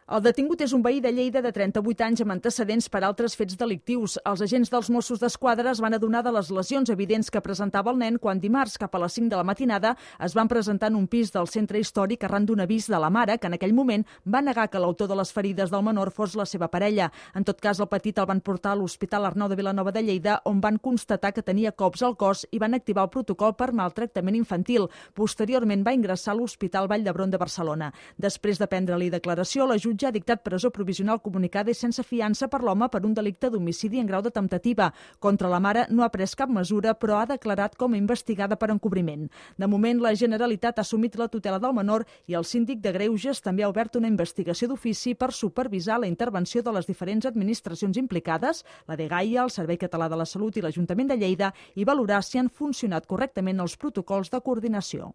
El detingut és un veí de Lleida de 38 anys amb antecedents per altres fets delictius. Els agents dels Mossos d'Esquadra es van adonar de les lesions evidents que presentava el nen quan dimarts, cap a les 5 de la matinada, es van presentar en un pis del centre històric arran d'un avís de la mare, que en aquell moment va negar que l'autor de les ferides del menor fos la seva parella. En tot cas, el petit el van portar a l'Hospital Arnau de Vilanova de Lleida, on van constatar que tenia cops al cos i van activar el protocol per maltractament infantil. Posteriorment va ingressar a l'Hospital Vall d'Hebron de Barcelona. Després de prendre-li declaració, la jutge ha dictat presó provisional comunicada i sense fiança per l'home per un delicte d'homicidi en grau de temptativa. Contra la mare no ha pres cap mesura, però ha declarat com a investigada per encobriment. De moment, la Generalitat ha assumit la tutela del menor i el síndic de Greuges també ha obert una investigació d'ofici per supervisar la intervenció de les diferents administracions implicades, la dgaia, el Servei Català de la Salut i l'Ajuntament de Lleida, i valorar si han funcionat correctament els protocols de coordinació.